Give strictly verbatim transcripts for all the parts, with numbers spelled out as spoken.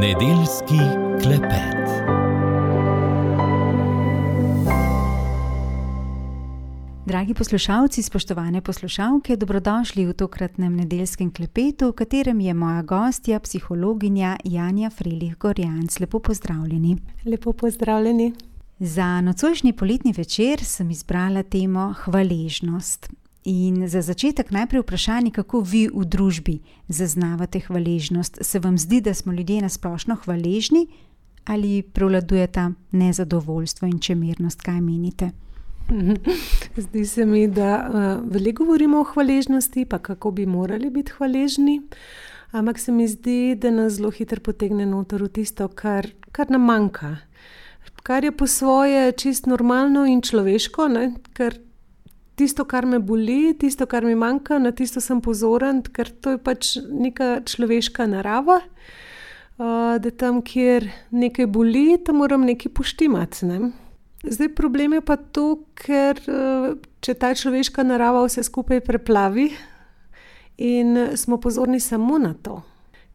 Nedeljski klepet. Dragi poslušalci, spoštovane poslušalke, dobrodošli v tokratnem nedeljskem klepetu, v katerem je moja gostja, psihologinja Janja Frelih Gorjanc. Lepo pozdravljeni. Lepo pozdravljeni. Za nocojšnji poletni večer sem izbrala temo hvaležnost. In za začetek najprej vprašanje, kako vi v družbi zaznavate hvaležnost. Se vam zdi, da smo ljudje na splošno hvaležni ali prevladujeta nezadovoljstvo in čemernost? Kaj menite? Zdi se mi, da uh, veliko govorimo o hvaležnosti, pa kako bi morali biti hvaležni, ampak se mi zdi, da nas zelo hitro potegne noter v tisto, kar, kar nam manjka. Kar je po svoje čist normalno in človeško, ne? Ker tisto, kar me boli, tisto, kar mi manjka, na tisto sem pozoren, ker to je pač neka človeška narava, uh, da tam, kjer nekaj boli, tam moram nekaj poštimati, ne? Zdaj, problem je pa to, ker če ta človeška narava vse skupaj preplavi in smo pozorni samo na to,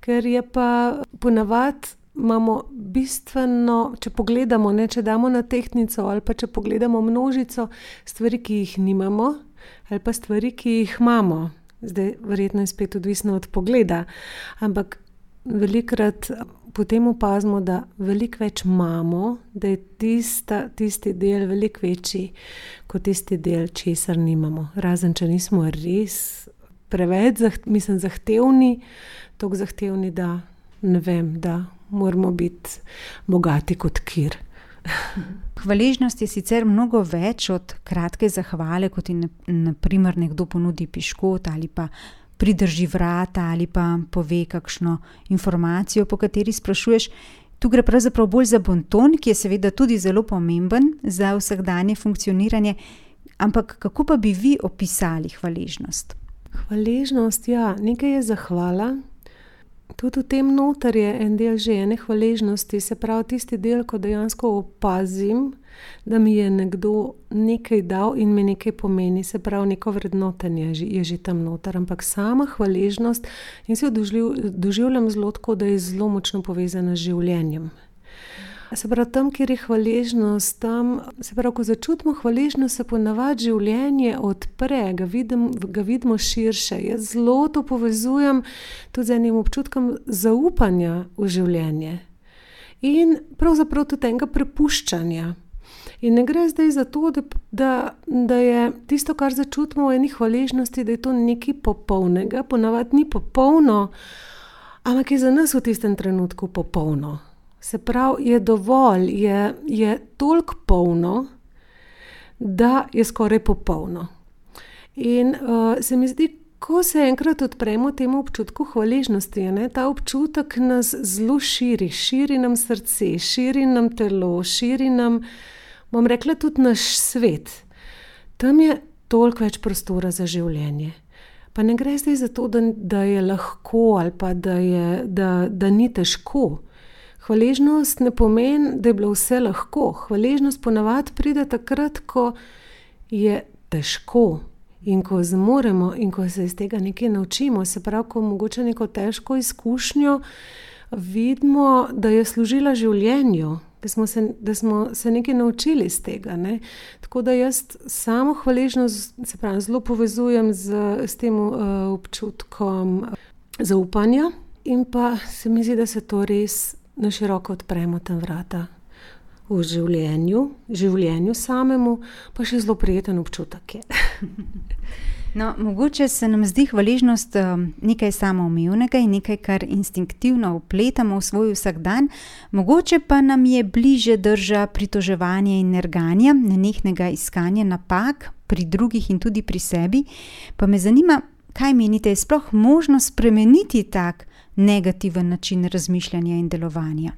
ker je pa ponavadi imamo bistveno, če pogledamo, ne, če damo na tehtnico ali pa če pogledamo množico stvari, ki jih nimamo ali pa stvari, ki jih imamo. Zdaj, verjetno je spet odvisno od pogleda, ampak velikokrat potem opazimo, da veliko več imamo, da je tista, tisti del veliko večji kot tisti del, česar nimamo. Razen, če nismo res preveč zaht, mislim, zahtevni, toliko zahtevni, da ne vem, da moramo biti bogati kot kir. Hvaležnost je sicer mnogo več od kratke zahvale, kot je na primer nekdo ponudi piškot ali pa pridrži vrata ali pa pove kakšno informacijo, po kateri sprašuješ. Tu gre pravzaprav bolj za bonton, ki je seveda tudi zelo pomemben za vsakdanje funkcioniranje. Ampak kako pa bi vi opisali hvaležnost? Hvaležnost, ja, nekaj je zahvala. Tudi v tem noter je en del že ene hvaležnosti, se pravi tisti del, ko dejansko opazim, da mi je nekdo nekaj dal in mi nekaj pomeni, se pravi neko vrednotenje je že tam noter, ampak sama hvaležnost in se jo doživljam zelo tako, da je zelo močno povezana z življenjem. Se pravi, tam, kjer je hvaležnost, tam, se pravi, ko začutimo hvaležnost, se ponavadi življenje odpre, ga, vidim, ga vidimo širše. Jaz zelo to povezujem tudi z enim občutkom zaupanja v življenje in pravzaprav tudi enega prepuščanja. In ne gre zdaj za to, da, da, da je tisto, kar začutimo v eni hvaležnosti, da je to nekaj popolnega, ponavadi ni popolno, ampak je za nas v tistem trenutku popolno. Se pravi, je dovolj, je, je toliko polno, da je skoraj popolno. In uh, se mi zdi, ko se enkrat odpremo temu občutku hvaležnosti, ne, ta občutek nas zelo širi, širi nam srce, širi nam telo, širi nam, bom rekla, tudi naš svet. Tam je toliko več prostora za življenje. Pa ne gre zdaj za to, da, da je lahko ali pa da, je, da, da ni težko. Hvaležnost ne pomeni, da je bilo vse lahko. Hvaležnost ponavadi pride takrat, ko je težko in ko zmoremo in ko se iz tega nekaj naučimo. Se pravi, ko mogoče neko težko izkušnjo vidimo, da je služila življenju, da smo se, da smo se nekaj naučili iz tega. Ne? Tako da jaz samo hvaležnost, se pravi, zelo povezujem z, s tem uh, občutkom zaupanja in pa se mi zdi, da se to res na široko odpremo tam vrata v življenju, življenju samemu, pa še zelo prijeten občutek je. No, mogoče se nam zdi hvaležnost nekaj samoumevnega in nekaj, kar instinktivno vpletamo v svoj vsakdan, mogoče pa nam je bliže drža pritoževanja in nerganja, nenehnega iskanja napak pri drugih in tudi pri sebi. Pa me zanima, kaj menite, je sploh možno spremeniti tak negativen način razmišljanja in delovanja?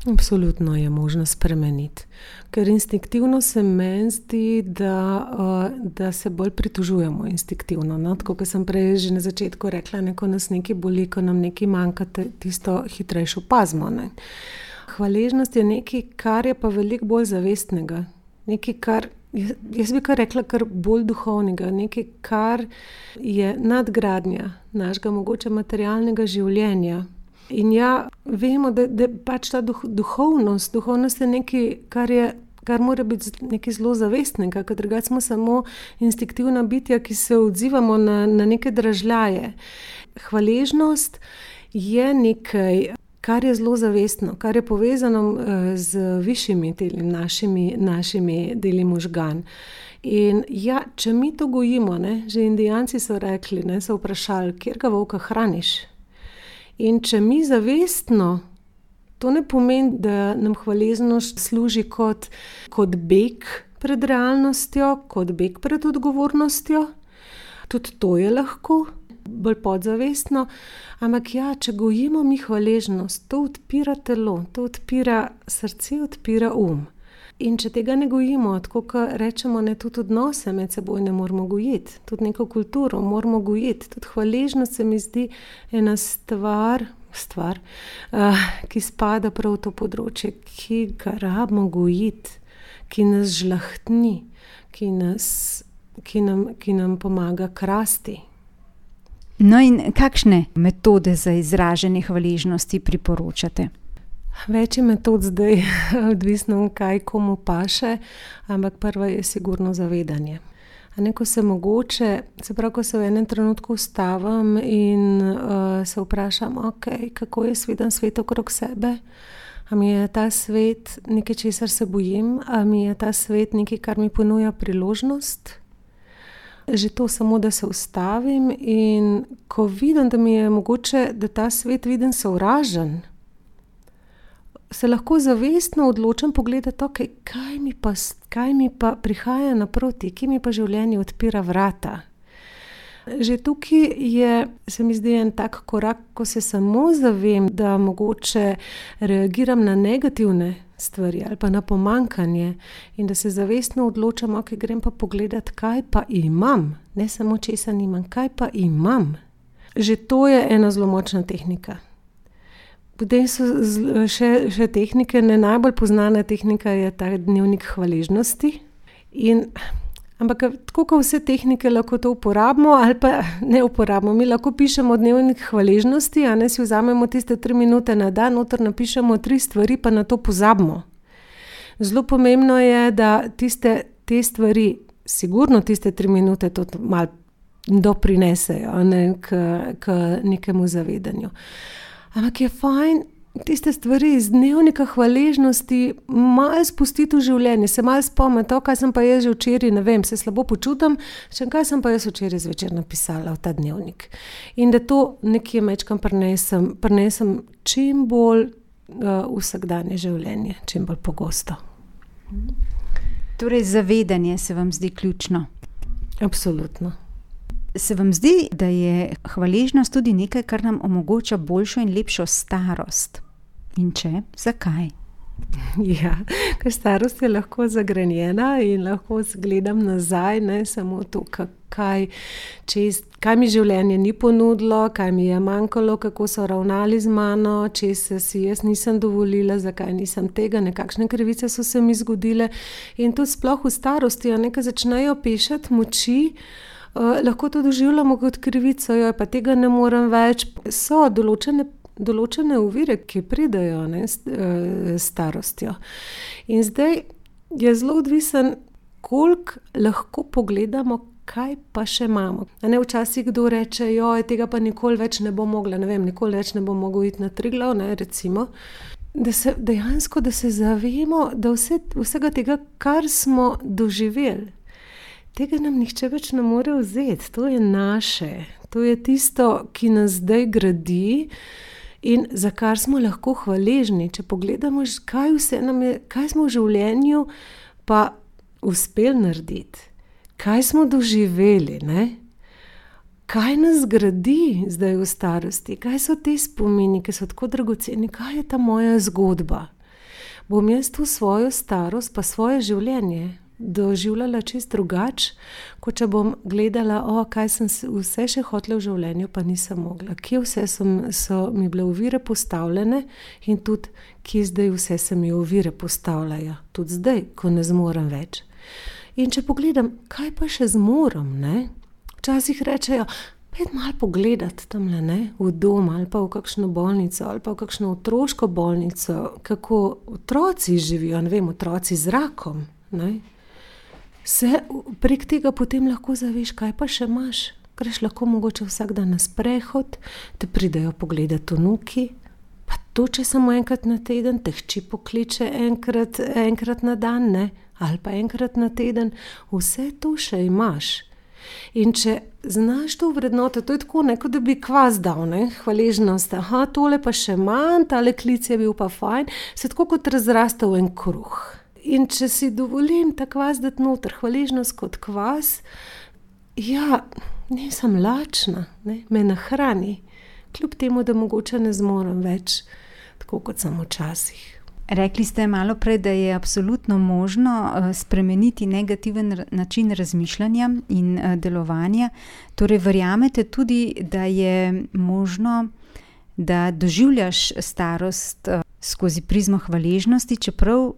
Absolutno je možno spremeniti, ker instinktivno se meni zdi, da, uh, da se bolj pritožujemo instinktivno. No? Tako, kot sem prej že na začetku rekla, ne, ko nas nekaj boli, ko nam nekaj manjka, tisto hitrejšo opazimo. Ne? Hvaležnost je nekaj, kar je pa veliko bolj zavestnega. Nekaj, kar jaz bi kar rekla, kar bolj duhovnega, nekaj, kar je nadgradnja našega mogoče materialnega življenja. In ja, vemo, da, da pač ta duh, duhovnost, duhovnost je nekaj, kar je kar mora biti nekaj zelo zavestnega, ker drugače smo samo instinktivna bitja, ki se odzivamo na, na neke dražljaje. Hvaležnost je nekaj, kar je zelo zavestno, kar je povezano z višjimi deli, našimi, našimi deli možgan. In ja, če mi to gojimo, ne, že indijanci so rekli, ne, so vprašali, kjerga volka hraniš? In če mi zavestno, to ne pomeni, da nam hvaležnost služi kot, kot beg pred realnostjo, kot beg pred odgovornostjo. Tudi to je lahko, bolj podzavestno. Ampak ja, če gojimo mi hvaležnost, to odpira telo, to odpira srce, odpira um. In če tega ne gojimo, tako kot rečemo, ne, tudi odnose med seboj ne moramo gojiti, tudi neko kulturo moramo gojiti. Tudi hvaležnost se mi zdi ena stvar, stvar uh, ki spada prav v to področje, ki ga rabimo gojiti, ki nas žlahtni, ki, nas, ki, nam, ki nam pomaga krasti. No in kakšne metode za izražanje hvaležnosti priporočate? Več je metod zdaj, odvisno kaj komu paše, ampak prva je sigurno zavedanje. A ne, ko se mogoče, se pravi, ko se v enem trenutku ustavim in uh, se vprašam, ok, kako je viden svet okrog sebe? A mi je ta svet nekaj, česar se bojim? A mi je ta svet nekaj, kar mi ponuja priložnost? Že to samo, da se ustavim in ko vidim, da mi je mogoče, da ta svet vidim sovražen, se lahko zavestno odločam pogledati, okay, kaj, mi pa, kaj mi pa prihaja naproti, ki mi pa življenje odpira vrata. Že tukaj je, se mi zdi, en tak korak, ko se samo zavem, da mogoče reagiram na negativne stvari ali pa na pomankanje in da se zavestno odločam, ok, grem pa pogledati, kaj pa imam, ne samo česa nimam, kaj pa imam. Že to je ena zelo močna tehnika. Potem so še, še tehnike, ne najbolj poznana tehnika je ta dnevnik hvaležnosti. In, ampak tako kot vse tehnike lahko to uporabimo ali pa ne uporabimo. Mi lahko pišemo dnevnik hvaležnosti, a ne si vzamemo tiste tri minute na dan, noter napišemo tri stvari, pa na to pozabimo. Zelo pomembno je, da tiste te stvari, sigurno tiste tri minute to malo doprinesejo, ne, k, k nekemu zavedanju. Ampak je fajn tiste stvari iz dnevnika hvaležnosti malo spustiti v življenje, se malo spomniti, kaj sem pa jaz že včeraj, ne vem, se slabo počutim, še kaj sem pa jaz včeraj zvečer napisala v ta dnevnik. In da to nekje mečkam prinesem, prinesem čim bolj uh, vsakdanje življenje, čim bolj pogosto. Torej zavedanje se vam zdi ključno? Absolutno. Se vam zdi, da je hvaležnost tudi nekaj, kar nam omogoča boljšo in lepšo starost? In če, zakaj? Ja, ker starost je lahko zagrenjena in lahko gledam nazaj, ne samo to, kaj, čez, kaj mi življenje ni ponudilo, kaj mi je manjkalo, kako so ravnali z mano, česa si jaz nisem dovolila, zakaj nisem tega, nekakšne krivice so se mi zgodile. In to sploh v starosti, a nekaj začnejo pešati moči, Uh, lahko to doživljamo kot krivico, jo, pa tega ne morem več. So določene, določene ovire, ki pridejo, ne, s uh, starostjo. In zdaj je zelo odvisen, koliko lahko pogledamo, kaj pa še imamo. A ne, včasih kdo reče, joj, tega pa nikoli več ne bo mogla, ne vem, nikoli več ne bo mogel iti na Triglav, ne, recimo. Da se dejansko, da se zavemo, da vse, vsega tega, kar smo doživeli, tega nam nihče več ne more vzeti, to je naše, to je tisto, ki nas zdaj gradi in za kar smo lahko hvaležni. Če pogledamo, kaj vse nam je, kaj smo v življenju pa uspeli narediti, kaj smo doživeli, ne? Kaj nas gradi zdaj v starosti, kaj so te spomini, ki so tako dragoceni, kaj je ta moja zgodba. Bom jaz tu svojo starost pa svoje življenje doživljala čist drugače, kot če bom gledala, o, kaj sem vse še hotela v življenju, pa nisem mogla. Kje vse sem, so mi bile ovire postavljene in tudi, kje zdaj vse se mi ovire postavljajo. Tudi zdaj, ko ne zmorem več. In če pogledam, kaj pa še zmorem, ne? Včasih rečejo, pet malo pogledati tamle, ne, v dom ali pa v kakšno bolnico ali pa v kakšno otroško bolnico, kako otroci živijo, ne vem, otroci z rakom, ne. Se prek tega potem lahko zaveš, kaj pa še imaš. Greš lahko mogoče vsak dan na sprehod, te pridejo pogledat vnuki, pa to, če samo enkrat na teden, te hči pokliče enkrat, enkrat na dan, ne, ali pa enkrat na teden, vse to še imaš. In če znaš to vrednoto, to je tako, ne, kot da bi kvas dal, ne, hvaležnost, aha, tole pa še manj, tale klic je bil pa fajn, se tako kot razrastel en kruh. In če si dovolim ta kvas dati noter, hvaležnost kot kvas, ja, nisem lačna, ne, me nahrani, kljub temu, da mogoče ne zmorem več, tako kot sem včasih. Rekli ste malo prej, da je absolutno možno spremeniti negativen način razmišljanja in delovanja. Torej, verjamete tudi, da je možno, da doživljaš starost skozi prizmo hvaležnosti, čeprav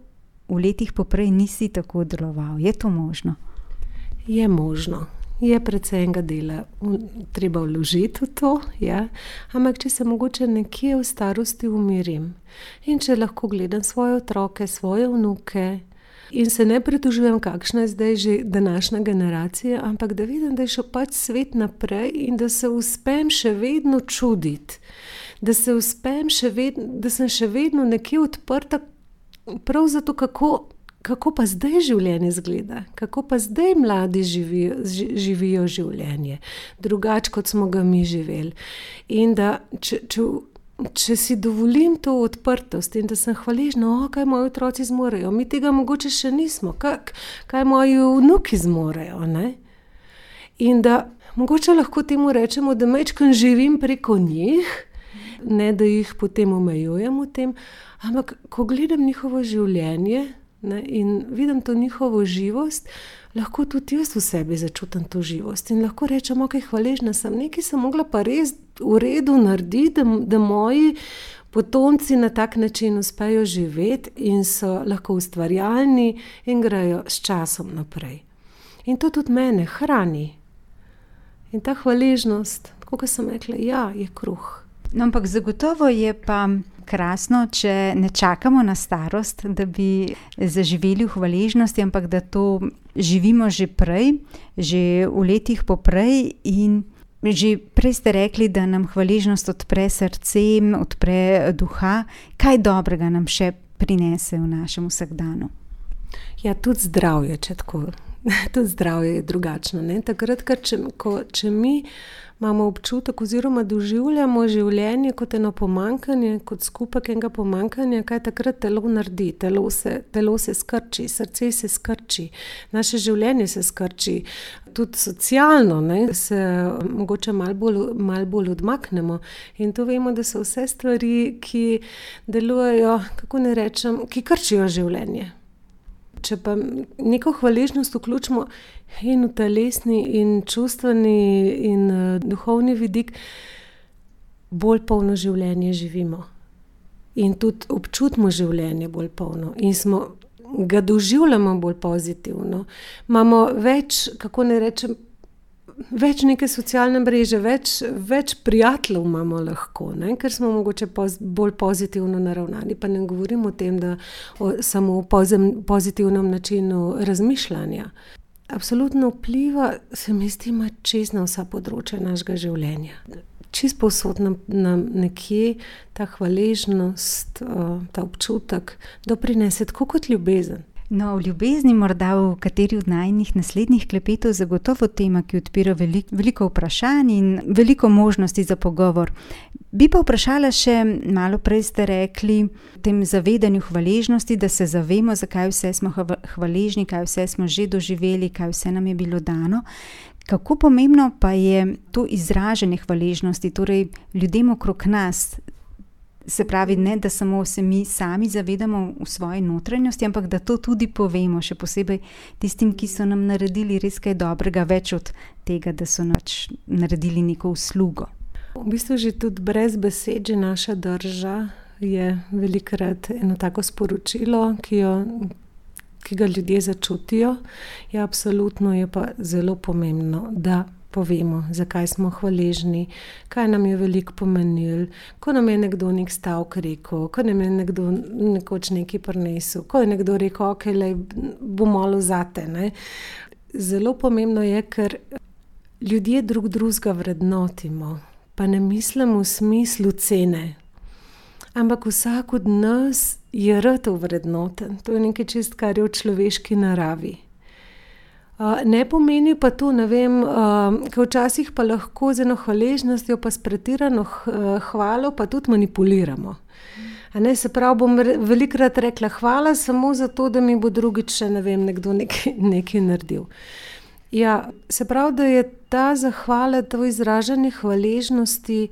v letih poprej nisi tako deloval. Je to možno? Je možno. Je precej enega dela treba vložiti v to, ja. Ampak če se mogoče nekje v starosti umirim in če lahko gledam svoje otroke, svoje vnuke in se ne pritožujem, kakšna je zdaj že današnja generacija, ampak da vidim, da je šel pač svet naprej in da se uspem še vedno čuditi, da se uspem še vedno, da sem še vedno nekje odprta prav zato, kako Kako pa zdaj življenje izgleda? Kako pa zdaj mladi živijo, živijo življenje? Drugače, kot smo ga mi živeli. In da, če, če, če si dovolim to odprtost in da sem hvaležna, o, kaj moji otroci zmorejo, mi tega mogoče še nismo, kaj, kaj moji vnuki zmorejo, ne? In da mogoče lahko temu rečemo, da majčkeno živim preko njih, ne da jih potem omejujem v tem, ampak ko gledam njihovo življenje, ne, in vidim to njihovo živost, lahko tudi jaz v sebi začutim to živost in lahko rečem, ok, hvaležna sem, nekaj sem mogla pa res v redu narediti, da, da moji potomci na tak način uspejo živeti in so lahko ustvarjalni in grejo s časom naprej. In to tudi mene hrani. In ta hvaležnost, tako kot sem rekla, ja, je kruh. No, ampak zagotovo je pa krasno, če ne čakamo na starost, da bi zaživeli v hvaležnosti, ampak da to živimo že prej, že v letih poprej in že prej ste rekli, da nam hvaležnost odpre srce, odpre duha. Kaj dobrega nam še prinese v našem vsakdanu? Ja, tudi zdravje, če tako. Tudi zdravje je drugačno, ne? Takrat, ker če, ko, če mi imamo občutek oziroma doživljamo življenje kot eno pomanjkanje, kot skupek enega pomanjkanja, kaj takrat telo naredi, telo se, telo se skrči, srce se skrči, naše življenje se skrči, tudi socialno, ne, se mogoče malo bolj, malo bolj odmaknemo in to vemo, da so vse stvari, ki delujejo, kako ne rečem, ki krčijo življenje. Če pa neko hvaležnost vključimo in v telesni in čustveni in uh, duhovni vidik, bolj polno življenje živimo. In tudi občutimo življenje bolj polno in smo, ga doživljamo bolj pozitivno. Imamo več, kako ne rečem, več neke socialne mreže, več, več prijateljev imamo lahko, ne? Ker smo mogoče poz, bolj pozitivno naravnani, pa ne govorim o tem, da o, samo o pozem, pozitivnem načinu razmišljanja. Absolutno vpliva, se mi zdi, ima čez na vsa področja našega življenja. Čist povsod nam, nam nekje ta hvaležnost, ta občutek doprinese tako kot ljubezen. No, v ljubezni morda v kateri od najnih naslednjih klepetov zagotovo tema, ki odpira veliko, veliko vprašanj in veliko možnosti za pogovor. Bi pa vprašala še, malo prej ste rekli, v tem zavedanju hvaležnosti, da se zavemo, zakaj vse smo hvaležni, kaj vse smo že doživeli, kaj vse nam je bilo dano. Kako pomembno pa je to izražanje hvaležnosti, torej ljudem okrog nas, se pravi, ne, da samo se mi sami zavedamo v svoji notranjosti, ampak da to tudi povemo, še posebej tistim, ki so nam naredili res kaj dobrega, več od tega, da so nač naredili neko uslugo. V bistvu že tudi brez besed, že naša drža je velikokrat eno tako sporočilo, ki, jo, ki ga ljudje začutijo. Ja, absolutno je pa zelo pomembno, da povemo, zakaj smo hvaležni, kaj nam je veliko pomenilo, ko nam je nekdo nek stavek rekel, ko nam je nekdo nekoč nekaj prinesel, ko je nekdo rekel, ok, lej, bo malo zate. Ne? Zelo pomembno je, ker ljudje drug drugega vrednotimo, pa ne mislim v smislu cene, ampak vsak od nas je rad vrednoten. To je nekaj čist, kar je v človeški naravi. Uh, ne pomeni pa to, ne vem, uh, ker včasih pa lahko z eno hvaležnostjo pa s pretirano hvalo pa tudi manipuliramo. A ne, se pravi, bom re, velikrat rekla hvala samo zato, da mi bo drugič še, ne vem, nekdo nekaj, nekaj naredil. Ja, se pravi, da je ta zahvala, to izražanje hvaležnosti,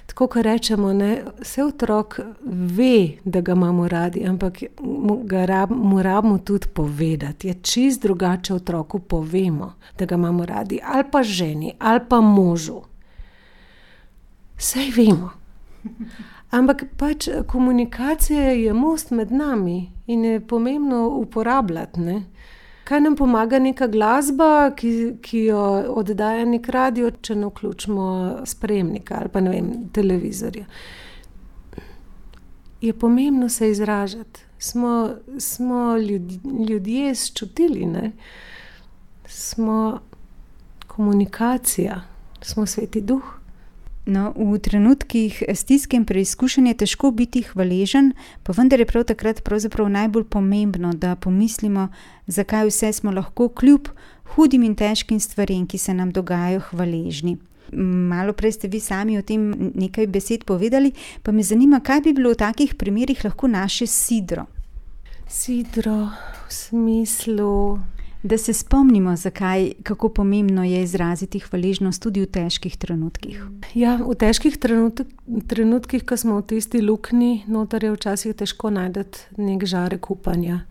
tako kot rečemo, ne, vse otrok ve, da ga imamo radi, ampak mu, ga rab, mu rabimo tudi povedati. Je čist drugače otroku povemo, da ga imamo radi, ali pa ženi, ali pa možu. Saj vemo. Ampak pač komunikacija je most med nami in je pomembno uporabljati, ne. Kaj nam pomaga neka glasba, ki, ki jo oddaja nek radio, če ne vključimo sprejemnika ali pa ne vem, televizorja. Je pomembno se izražati. Smo, smo ljudje, ljudje sčutili, ne? Smo komunikacija, smo Sveti Duh. No, v trenutkih stiske in preizkušenj je težko biti hvaležen, pa vendar je prav takrat pravzaprav najbolj pomembno, da pomislimo, zakaj vse smo lahko kljub hudim in težkim stvarem, ki se nam dogajajo, hvaležni. Malo prej ste vi sami o tem nekaj besed povedali, pa me zanima, kaj bi bilo v takih primerih lahko naše sidro. Sidro v smislu... Da se spomnimo, zakaj, kako pomembno je izraziti hvaležnost tudi v težkih trenutkih. Ja, v težkih trenut, trenutkih, ko smo v tisti luknji, noter je včasih težko najdeti nek žarek upanja.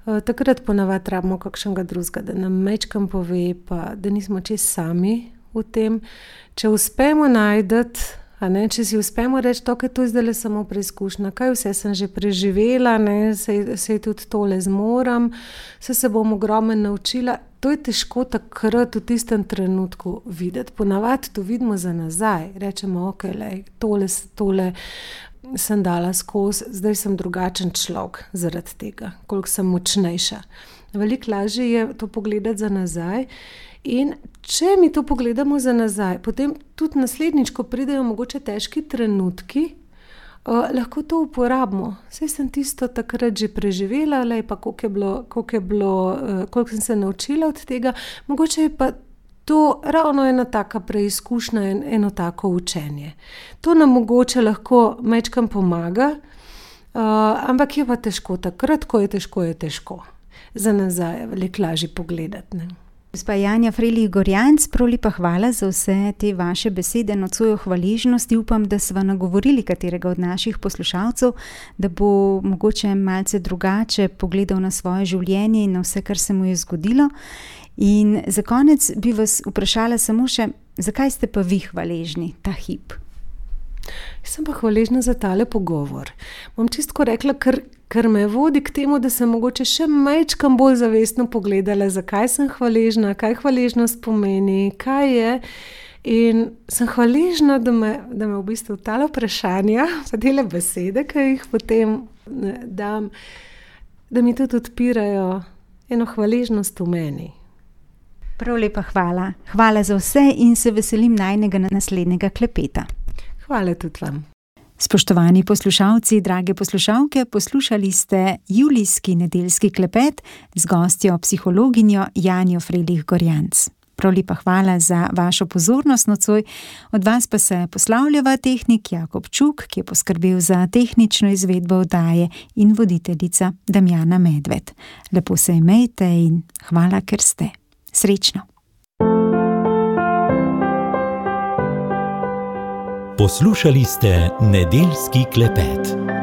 E, takrat ponavadi rabimo kakšnega drugega, da nam mečkam pove, pa da nismo čist sami v tem. Če uspemo najdeti, a ne, če si uspemo reči, to, kaj to je zdaj samo preizkušnja, kaj vse sem že preživela, ne, se, se tudi tole zmoram, se se bom ogromno naučila. To je težko takrat v tistem trenutku videti. Ponavadi to vidimo za nazaj. Rečemo, ok, lej, tole, tole sem dala skozi, zdaj sem drugačen človek zaradi tega, koliko sem močnejša. Veliko lažje je to pogledati za nazaj. In če mi to pogledamo za nazaj, potem tudi naslednjič, ko pridejo mogoče težki trenutki, uh, lahko to uporabimo. Saj sem tisto takrat že preživela, lej, pa koliko je bilo, koliko je bilo, uh, koliko sem se naučila od tega. Mogoče je pa to ravno ena taka preizkušnja, en, eno tako učenje. To nam mogoče lahko mečkam pomaga, uh, ampak je pa težko takrat, ko je težko, je težko. Za nazaj je veliko lažje pogledati, ne. Gospa Janja Frelih Gorjanc, prav lepa hvala za vse te vaše besede, nocoj o hvaležnosti. Upam, da sva nagovorili katerega od naših poslušalcev, da bo mogoče malce drugače pogledal na svoje življenje in na vse, kar se mu je zgodilo. In za konec bi vas vprašala samo še, zakaj ste pa vi hvaležni ta hip? Jaz sem pa hvaležna za tale pogovor. Bom čistko rekla, ker, ker me vodi k temu, da sem mogoče še majčkam bolj zavestno pogledala, zakaj sem hvaležna, kaj hvaležnost pomeni, kaj je. In sem hvaležna, da me, da me v bistvu tale vprašanja, pa tele besede, ki jih potem dam, da mi tudi odpirajo eno hvaležnost v meni. Prav lepa hvala. Hvala za vse in se veselim najnega naslednjega klepeta. Hvala tudi vam. Spoštovani poslušalci, drage poslušalke, poslušali ste julijski nedeljski klepet z gostjo psihologinjo Janjo Frelih Gorjanc. Prav lepa hvala za vašo pozornost nocoj. Od vas pa se poslavljava tehnik Jakob Čuk, ki je poskrbel za tehnično izvedbo oddaje, in voditeljica Damjana Medved. Lepo se imejte in hvala, ker ste. Srečno. Poslušali ste nedeljski klepet.